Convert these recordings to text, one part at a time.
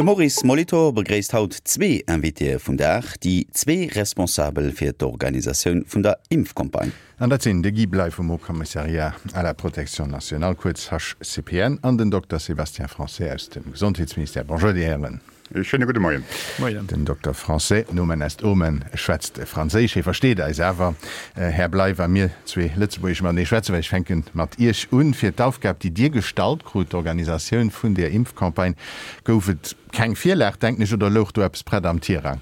De Maurice Molitor begréisst haut zwee Invitéë vum Dag, déi zwee Responsabel fir d'Organisatioun vun der Impfcampagne. An dat sinn de Guy Bley vum Haut Commissariat à la Protection nationale, kuerz HCPN, an den Dokter Sébastien Français aus dem Gesondheetsministère. Bonjour, Dir Hären. Ee schéine gudde Moien. Moien. Den Dokter Français, Nomen est omen, schwätzt Franséisch, hie versteet eis awer. Här Bley, wa mir zwee Lëtzebuergesch matenee schwätzen, well ech fänke mat Iech un, fir d'Aufgab, déi Dir gestallt krut, d'Organisatioun vun där Impfcampagne, gouf et keng Virlag, denken ech, oder louch do eppes prett am Tirang?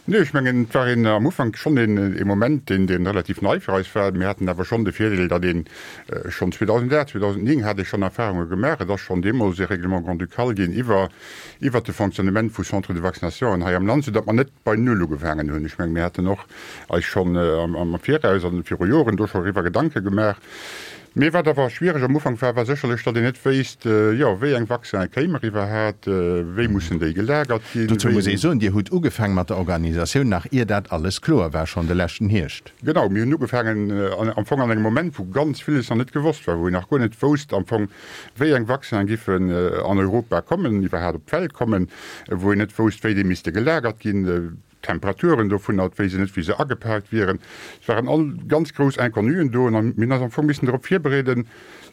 Nee, ech mengen, et war een am Ufank schonn een ee Moment, deen, deen relativ nei fir eis war. Mir haten awer schonn de Virdeel, datt een schonn 2008, 2009 hat ee schonn Erfahrunge gemaach. Et ass schonn deemools ee Règlement grand-ducal ginn iwwer, iwwert de Fonctionnement vu Centres de vaccinationen hei am Land, soudatt mer net bei Null ugefaangen hunn. Ech mengen, mir haten och eis schonn am Viraus an viru Joren do scho eriwwer Gedanke gemaach. Mee wat awer schwiereg am Ufank war, war sécherlech, datt een net wéisst, jo, wéi eng Vaccinen kéimer iwwerhat, wéi mussen déi gelagert ginn, Dozou muss ee soen, Dir hutt ugefaang mat der Organisatioun, nach ier dat alles kloer war, schonn de leschten Hierscht. Genau, mir hunn ugefaangen am Fong an engem Moment, wou ganz villes nach net gewosst war, wou een nach guer net wousst am Fong, wéi eng Vaccinen giffen an Europa kommen, iwwerhat op d'Welt kommen, wou een net wousst, wéi déi misste gelagert ginn. D'Temperaturen dovunner, et wéisst een net, wéi se agepaakt wieren. Et waren all ganz grouss Inconnuen do an mir hunn eis am Fong missen drop virbereeden,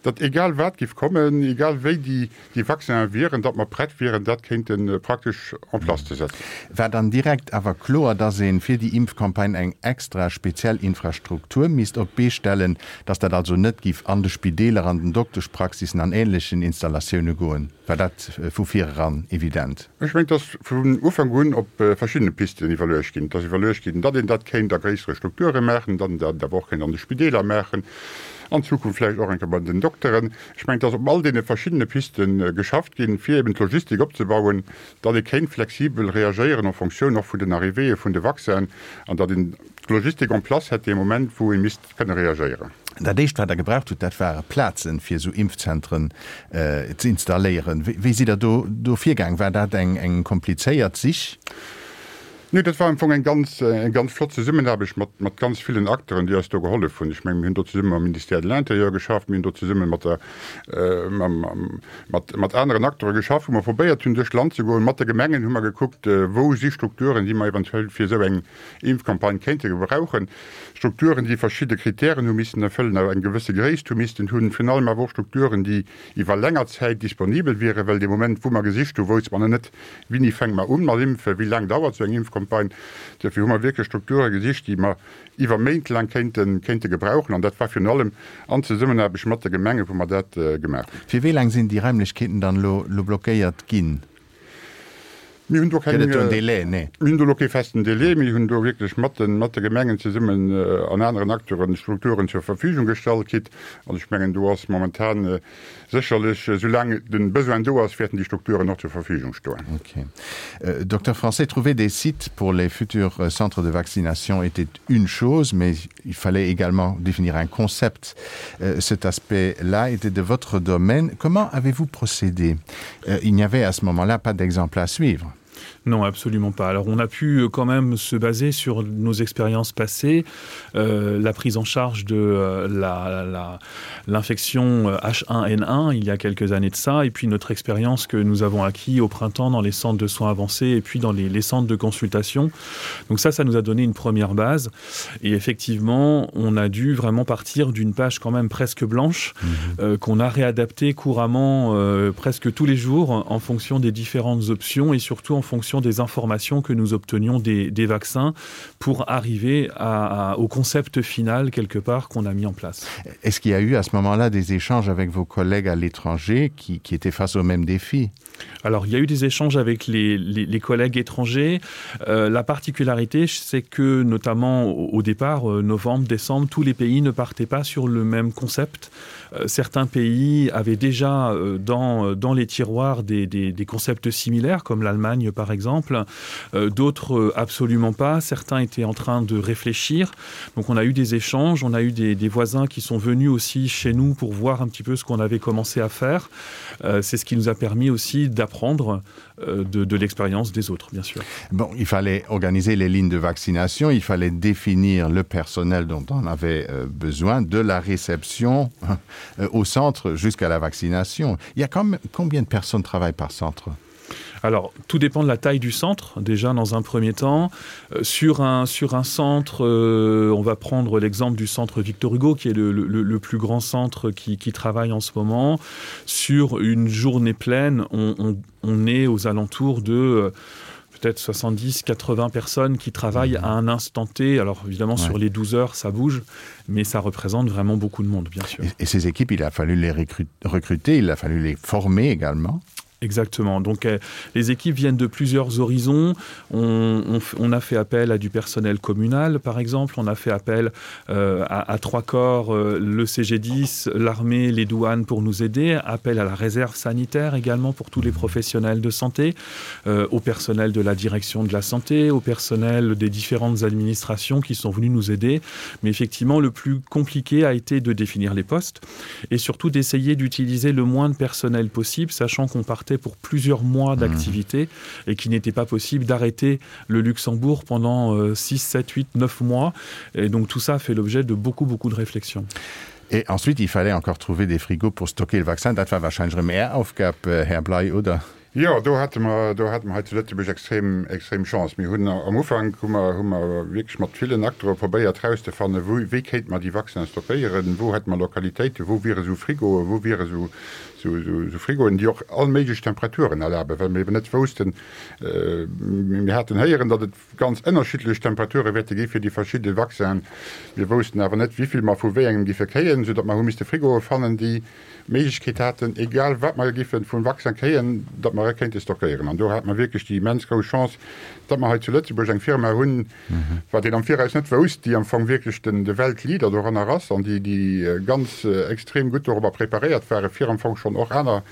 datt egal wat giff kommen, egal wéi déi déi Vaccinen wieren, datt mer prett wieren, dat kéinte praktesch en place ze setzen. War dann direkt awer kloer, datt ee fir déi Impfcampagne eng extra speziell Infrastruktur misst op d'Bee stellen, datt dat also net giff an de Spideeler, an den Dokteschpraxissen an ähnlechen Installatioune goen? War dat vu vireran evident? Ech mengen, et ass vun Ufank un op verschiddene Pisten iwwerluecht ginn. Et ass iwwerluecht ginn, datt een dat kéint a gréissere Strukture maachen, datt een dat awer och kéint an de Spideeler maachen, an Zukunft vläicht och eng Kéier bei den Dokteren. Ech mengen, et ass op all deene verschiddene Piste geschafft ginn, fir eben d'Logistik opzebauen, datt ee kéint flexibel reagéieren en fonction och vun den Arrivéeë vun de Vaccinen an datt een d'Logistik en place hätt dee Moment, wou ee misst kënne reagéieren. Dat éischt, wat Der gebraucht hutt, dat ware Plazen, fir esou Impfzentren ze installéieren. Wéi sidd Der do do virgaang? War dat eng eng komplizéiert Sich? Nee, dat war am Fong eng ganz eng ganz flott Zesummenaarbecht mat mat ganz villen Acteuren, déi eis do gehollef hunn. Ech mengen, mir hunn do zesumme mam Ministère de l'Intérieur geschafft, mir hunn do zesumme mat der mam mat mat aneren Acteure geschafft, wou mer probéiert hunn, duerch d'Land ze goen. Mat de Gemengen hu mer gekuckt, wou si Strukturen, déi mer eventuell fir esou eng Impfcampagne kéinte gebrauchen. Strukturen, déi verschidde Kritären hu missen erfëllen, awer eng gewësse Gréisst hu missten hunn, virun allem awer och Strukturen, déi iwwer länger Zäit disponibel wieren, well dee Moment, wou mer gesicht hunn, wousste mer nach net, Wéini fänke mer un mat impfen, wéi laang dauert esou eng Impfcampagne. Duerfir hu mer wierklech Strukture gesicht, déi mer iwwer Méint laang kéinte kéinte gebrauchen, an dat war virun allem an Zesummenaarbecht mat de Gemengen, wou mer dat gemaach hunn. Fir wéi laang sinn déi Raimlechkeeten dann elo blockéiert ginn? Mir hunn do keng, Gëtt et do en Délai? Nee. Mir hunn do elo kee festen Délai. Mir hunn do wierklech mat de, mat de Gemengen zesummen an aneren Acteuren Strukturen zur Verfügung gestallt kritt. An ech mengen, do ass momentan sécherlech, soulaang de Besoin do ass, wäerten déi Strukturen och zur Verfügung stoen. Ok. Docteur Français, trouver des sites pour les futurs centres de vaccination était une chose, mais il fallait également définir un concept. Cet aspect-là était de votre domaine. Comment avez-vous procédé? Il n'y avait à ce moment-là pas d'exemple à suivre. Non, absolument pas. Alors on a pu euh, quand même se baser sur nos expériences passées, euh, la prise en charge de euh, l'infection la, la, H1N1 euh, il y a quelques années de ça, et puis notre expérience que nous avons acquis au printemps dans les centres de soins avancés et puis dans les, les centres de consultation. Donc ça, ça nous a donné une première base. Et effectivement, on a dû vraiment partir d'une page quand même presque blanche mmh. euh, qu'on a réadaptée couramment euh, presque tous les jours en fonction des différentes options et surtout en fonction des informations que nous obtenions des, des vaccins pour arriver à, à, au concept final quelque part qu'on a mis en place. Est-ce qu'il y a eu à ce moment-là des échanges avec vos collègues à l'étranger qui, qui étaient face au même défi? Alors il y a eu des échanges avec les, les, les collègues étrangers. Euh, la particularité, c'est que notamment au, au départ, euh, novembre, décembre, tous les pays ne partaient pas sur le même concept. Euh, certains pays avaient déjà euh, dans, euh, dans les tiroirs des, des, des concepts similaires, comme l'Allemagne par exemple, euh, d'autres euh, absolument pas. Certains étaient en train de réfléchir. Donc on a eu des échanges, on a eu des, des voisins qui sont venus aussi chez nous pour voir un petit peu ce qu'on avait commencé à faire. Euh, c'est ce qui nous a permis aussi d'apprendre euh, de, de l'expérience des autres, bien sûr. Bon, il fallait organiser les lignes de vaccination, il fallait définir le personnel dont on avait euh, besoin, de la réception au centre jusqu'à la vaccination. Il y a quand même, combien de personnes travaillent par centre? Alors tout dépend de la taille du centre déjà dans un premier temps euh, sur un sur un centre euh, on va prendre l'exemple du centre Victor Hugo qui est le, le, le plus grand centre qui, qui travaille en ce moment sur une journée pleine on, on, on est aux alentours de euh, peut-être 70 80 personnes qui travaillent à un instant T alors évidemment ouais. sur les 12 heures ça bouge mais ça représente vraiment beaucoup de monde bien sûr et, et ces équipes il a fallu les recruter il a fallu les former également Exactement. Donc euh, les équipes viennent de plusieurs horizons. On, on, on a fait appel à du personnel communal, par exemple. On a fait appel euh, à, à trois corps, euh, le CG10, l'armée, les douanes pour nous aider, appel à la réserve sanitaire également pour tous les professionnels de santé, euh, au personnel de la direction de la santé, au personnel des différentes administrations qui sont venus nous aider. Mais effectivement, le plus compliqué a été de définir les postes et surtout d'essayer d'utiliser le moins de personnel possible, sachant qu'on partait pour plusieurs mois mmh. d'activité et qu'il n'était pas possible d'arrêter le Luxembourg pendant 6, 7, 8, 9 mois. Et donc tout ça fait l'objet de beaucoup beaucoup de réflexions. Et ensuite, il fallait encore trouver des frigos pour stocker le vaccin. Dat war wahrscheinlich mehr Aufgab, äh, Herr Blei, oder? Jo, do hate mer, do hate mer hei zu Lëtzebuerg extrem, extrem Chance. Mir hunn am Ufank hu mer, hu mer wierklech mat villen Acteure probéiert erauszefannen, wou, wéi kéinte mer déi Vaccinen stockéieren, wou hätte mer Lokalitéiten, wou wiere sou Frigoen, wou wiere sou, sou, sou Frigoen, déi och all méiglech Temperaturen erlaben, well mer eben net woussten, mir haten héieren, datt et ganz ënnerschiddlech Temperature wäerte gi fir déi verschidde Vaccinen. Mir woussten awer net, wéi vill mer vu wéi engem giffe kréien, soudatt mer hu misste Frigoe fannen, déi d'Méiglechkeet haten, egal wat mer giffe vum Vaccin kréien, datt mer e kéinte stockéieren. An do hate mer wierklech déi immens grouss Chance, datt mer hei zu Lëtzebuerg eng Firma hunn, wat een am Viraus net wousst, déi am Fong wierklech den, de Weltleader doranner ass an déi, déi ganz extrem gutt dorobber preparéiert ware fir am Fong schonn och aner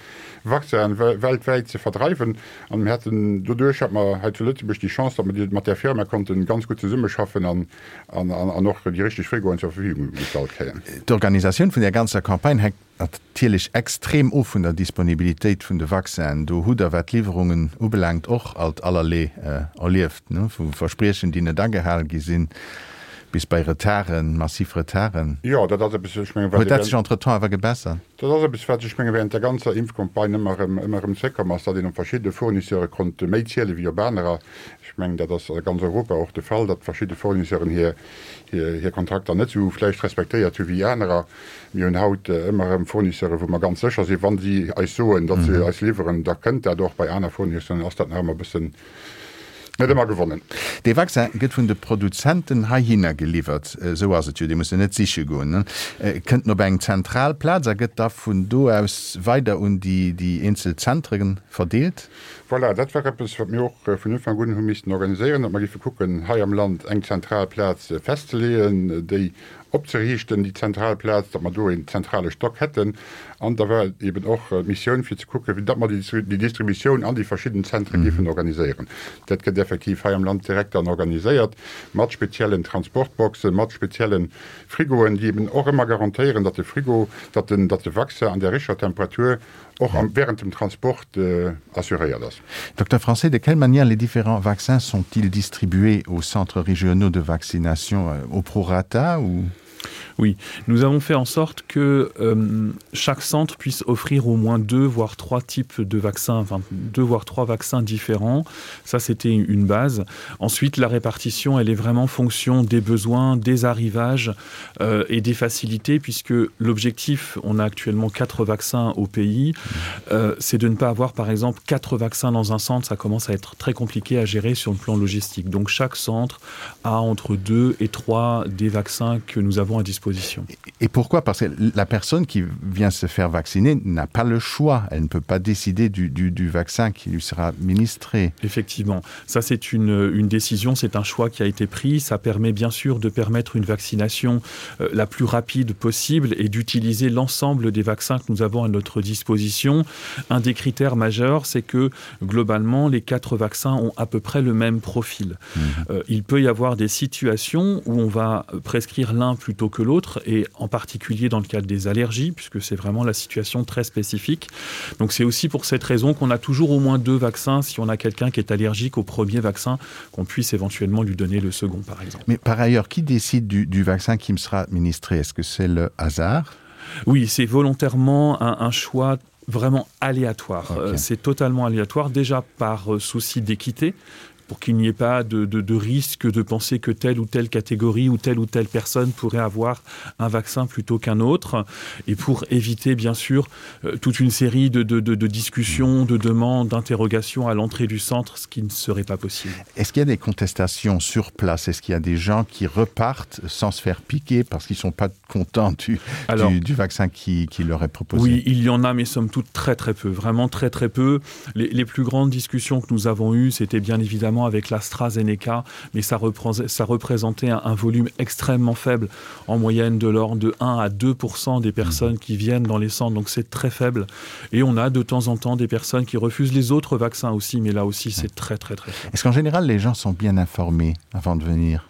Vaccinen weltwäit ze verdreiwen. An mir haten doduerch hate mer hei zu Lëtzebuerg déi Chance, datt mer mat där Firma konnte ganz gutt zesummeschaffen an, an och déi richteg Frigoen zur Verfügung gestallt kréien. D'Organisatioun vun där ganzer Campagne hänkt natierlech extrem of vun der Disponibilitéit vun de Vaccinen. Do hutt Der, wat d'Liwwerungen ubelaangt, och alt allerlee erlieft, vu Verspriechen, déi net agehal gi sinn, bis bei Retarden, massiv Retarden. Jo, dat ass eppes, ech mengen, wat. Huet dat sech entretemps awer gebessert? Dat ass eppes, wat, ech menge während der ganzer Impfcampagne ëmmer erëm, ëmmer erëm zréckkomm ass, datt een op verschidde Fournisseure konnt méi ziele wéi op anerer. Ech mengen, dat ass a ganz Europa och de Fall, datt verschidde Fournisseuren hir, hir, hir Kontrakter net esou vläicht respektéiert hu wéi anerer. Mir hunn haut ëmmer erëm Fournisseuren, wou mer ganz sécher sinn, wa si eis soen, datt se eis liwweren, da kënnt dat och. Bei aner Fournisseuren ass dat nach ëmmer e bëssen net ëmmer gewonnen. Dee Vaccin gëtt vun de Produzenten heihinner geliwwert, esou ass et jo, dir musst en net siche goen, kënnt en op eng zentral Plaz a gëtt da vun do aus weider un déi eenzel Zentre verdeelt? Voilà, dat war eppes, wat mir och vun Ufank un hu missten organiséieren, datt mer géife kucken, hei am Land eng zentral Plaz festzeleeën, déi opzeriichten, déi zentral Plaz, datt mer do een zentrale Stock hätten. An da war et eben och d'Missioun, fir ze kucken, wéi datt mer déi Distributioun an déi verschidden Zentre géifen organiséieren. Dat gëtt effektiv hei am Land direkt dann organiséiert mat speziellen Transportboxen, mat spezielle Frigoen, déi eben och ëmmer garantéieren, datt de Frigo, datt den, datt de Vaccin an där richteger Temperatur och am, während dem Transport assuréiert ass. Docteur Francet, de quelle manière les différents vaccins sont-ils distribués aux centres régionaux de vaccination au prorata ou? Oui, nous avons fait en sorte que euh, chaque centre puisse offrir au moins deux voire trois types de vaccins, enfin deux voire trois vaccins différents. Ça c'était une base. Ensuite, la répartition elle est vraiment fonction des besoins, des arrivages euh, et des facilités puisque l'objectif, on a actuellement quatre vaccins au pays, euh, c'est de ne pas avoir par exemple quatre vaccins dans un centre, ça commence à être très compliqué à gérer sur le plan logistique. Donc chaque centre a entre deux et trois des vaccins que nous avons à disposition. Et pourquoi Parce que la personne qui vient se faire vacciner n'a pas le choix. Elle ne peut pas décider du, du, du vaccin qui lui sera administré. Effectivement, ça c'est une, une décision, c'est un choix qui a été pris. Ça permet bien sûr de permettre une vaccination euh, la plus rapide possible et d'utiliser l'ensemble des vaccins que nous avons à notre disposition. Un des critères majeurs, c'est que globalement, les quatre vaccins ont à peu près le même profil. Mmh. Euh, il peut y avoir des situations où on va prescrire l'un plutôt que l'autre et en particulier dans le cadre des allergies puisque c'est vraiment la situation très spécifique. Donc c'est aussi pour cette raison qu'on a toujours au moins deux vaccins si on a quelqu'un qui est allergique au premier vaccin qu'on puisse éventuellement lui donner le second par exemple. Mais par ailleurs, qui décide du, du vaccin qui me sera administré? Est-ce que c'est le hasard? Oui, c'est volontairement un, un choix. vraiment aléatoire. Okay. C'est totalement aléatoire déjà par euh, souci d'équité pour qu'il n'y ait pas de, de, de risque de penser que telle ou telle catégorie ou telle ou telle personne pourrait avoir un vaccin plutôt qu'un autre et pour éviter bien sûr euh, toute une série de, de, de, de discussions, de demandes, d'interrogations à l'entrée du centre, ce qui ne serait pas possible. Est-ce qu'il y a des contestations sur place Est-ce qu'il y a des gens qui repartent sans se faire piquer parce qu'ils ne sont pas contents du, Alors, du, du vaccin qui, qui leur est proposé Oui, il y en a, mais somme toute très très peu, vraiment très très peu. Les, les plus grandes discussions que nous avons eues, c'était bien évidemment avec l'AstraZeneca, mais ça, reprend, ça représentait un, un volume extrêmement faible, en moyenne de l'ordre de 1 à 2 des personnes mmh. qui viennent dans les centres, donc c'est très faible. Et on a de temps en temps des personnes qui refusent les autres vaccins aussi, mais là aussi c'est très très très faible. Est-ce qu'en général les gens sont bien informés avant de venir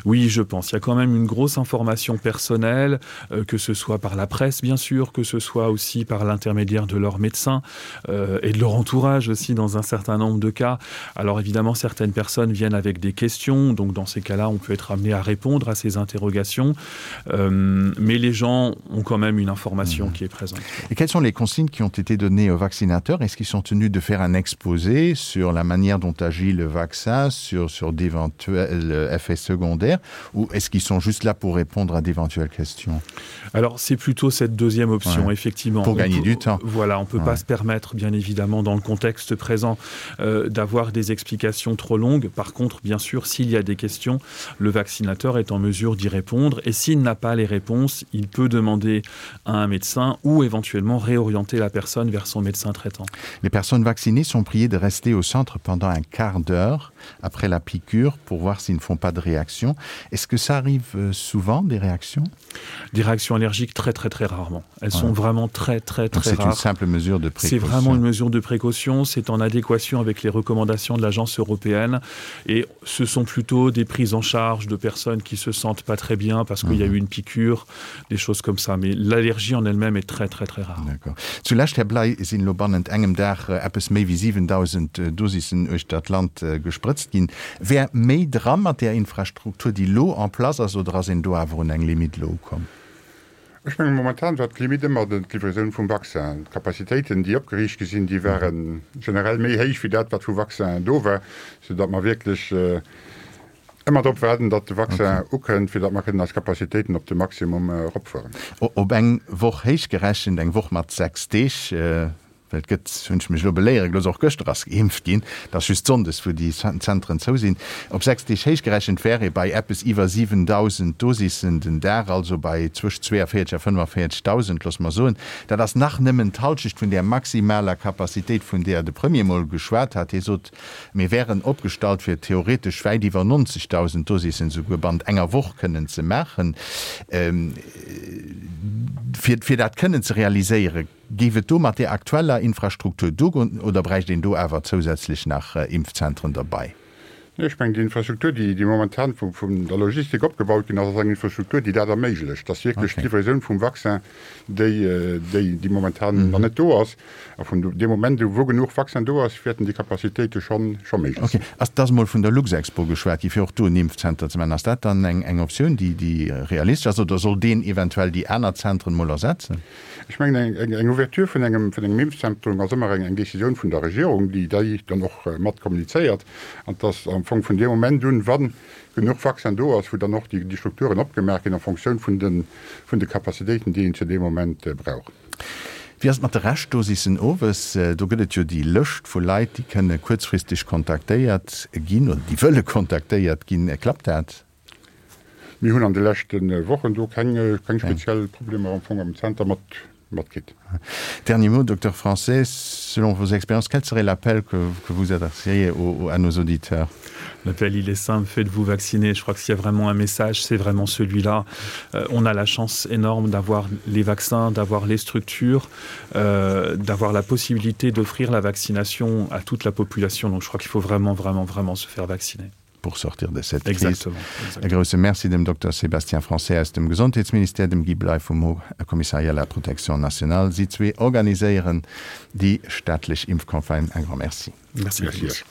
Oui, je pense. Il y a quand même une grosse information personnelle, euh, que ce soit par la presse, bien sûr, que ce soit aussi par l'intermédiaire de leur médecin euh, et de leur entourage aussi dans un certain nombre de cas. Alors évidemment, certaines personnes viennent avec des questions, donc dans ces cas-là, on peut être amené à répondre à ces interrogations. Euh, mais les gens ont quand même une information mmh. qui est présente. Et quelles sont les consignes qui ont été données aux vaccinateurs Est-ce qu'ils sont tenus de faire un exposé sur la manière dont agit le vaccin, sur, sur d'éventuels euh, effets secondaires ou est-ce qu'ils sont juste là pour répondre à d'éventuelles questions Alors c'est plutôt cette deuxième option ouais. effectivement. Pour on gagner peut, du temps. Voilà, on ne peut ouais. pas se permettre bien évidemment dans le contexte présent euh, d'avoir des explications trop longues. Par contre, bien sûr, s'il y a des questions, le vaccinateur est en mesure d'y répondre et s'il n'a pas les réponses, il peut demander à un médecin ou éventuellement réorienter la personne vers son médecin traitant. Les personnes vaccinées sont priées de rester au centre pendant un quart d'heure après la piqûre pour voir s'ils ne font pas de réaction. Est-ce que ça arrive euh, souvent des réactions Des réactions allergiques très très très rarement. Elles ouais. sont vraiment très très très C'est une simple mesure de précaution. C'est vraiment une mesure de précaution, c'est en adéquation avec les recommandations de l'agence européenne et ce sont plutôt des prises en charge de personnes qui se sentent pas très bien parce qu'il y a mhm. eu une piqûre, des choses comme ça. Mais l'allergie en elle-même est très très très rare. Zu Lescht, Här Bley, sinn elo bannent engem Dag eppes méi wéi 7.000 Dosissen uechter d'Land gesprëtzt ginn. Wär méi dra mat där Infrastruktur, déi elo en place ass, oder ass een do awer un eng Limite elo ukomm? Ech mengen, momentan war d'Limite ëmmer d'Livraison vum Vaccin. D'Capacitéiten, déi opgeriicht gi sinn, déi ware generell méi héich wéi dat, wat vu Vaccin do war, soudatt mer wierklech ëmmer drop waarden, datt de Vaccin ukënnt, fir datt mer kënnen eis Capacitéiten op de Maximum eropfueren. Op eng Woch héichgerechent, eng Woch mat 6 Deeg, well et gëtt, hunn ech mech elo beléiere gelooss, och gëschter ass geimpft ginn, et ass just sonndes, wou déi Zentren zou sinn, op 6 Deeg héichgerechent wär ee bei eppes iwwer 7.000 Dosissen den Dag, also bei zwëscht 42 a 45.000, loosse mer soen. Dat ass nach nëmmen d'Halschecht vun där maximaler Capacitéit, vun där de Premier mol geschwat hat. Hie sot, Mir wären opgestallt, fir theoretesch wäit iwwer 90.000 Dosissen souguer bannent enger Woch kënnen ze maachen. Fir, fir dat kënnen ze realiséieren, géif et do mat där aktueller Infrastruktur duergoen oder bräicht een do awer zousätzlech nach Impfzentren derbei? Nee, ech mengen, déi Infrastruktur, déi, déi momentan vu, vun der Logistik opgebaut ginn ass, ass eng Infrastruktur, déi dat erméiglecht, dass wierklech d'Livraison vum Vaccin, déi, déi, déi momentan nach net do ass, A vun deem Moment u wou genuch Vaccin do ass, wäerten déi Capacitéite scho scho méiglech sinn. Ok. Ass, et ass emol vun der Luxexpo geschwat gi fir och do en Impfzenter ze maachen. Ass dat dann eng eng Optioun, déi déi realistesch ass, oder soll deen eventuell déi aner Zentren emol ersetzen? Ech mengen, eng eng Ouverture vun engem vun engem Impfzentrum ass ëmmer eng eng Décisioun vun der Regierung, déi déi dann och mat kommunizéiert. An et ass am Fong vun deem Moment un, wa genuch Vaccin do ass, wou dann och déi déi Strukturen opgemaach ginn en Fonctioun vun de vun de Capacitéiten, déi een zu deem Moment brauch. Wéi ass et mat de Reschtdosissen owes? Do gëtt et jo déi Lëscht vu Leit, déi kënne kuerzfristeg kontaktéiert ginn oder déi wëlle kontaktéiert ginn. Klappt dat? Mir hunn an de leschte Wochen do keng speziell Problemer am Fong am Zenter mat matkritt. Dernier mot, Docteur Français, selon vos expériences, quel serait l'appel que vous adresseriez à nos auditeurs? L'appel, il est simple, faites-vous vacciner. Je crois que s'il y a vraiment un message, c'est vraiment celui-là. Euh, on a la chance énorme d'avoir les vaccins, d'avoir les structures, euh, d'avoir la possibilité d'offrir la vaccination à toute la population. Donc je crois qu'il faut vraiment, vraiment, vraiment se faire vacciner pour sortir de cette crise. E grousse Merci dem Dokter Sébastien Français aus dem Gesondheetsministère, dem Guy Bley vum Haut Commissariat à la Protection nationale. Si zwee organiséieren déi staatlech Impfcampagne. Un grand merci. Merci. Merci.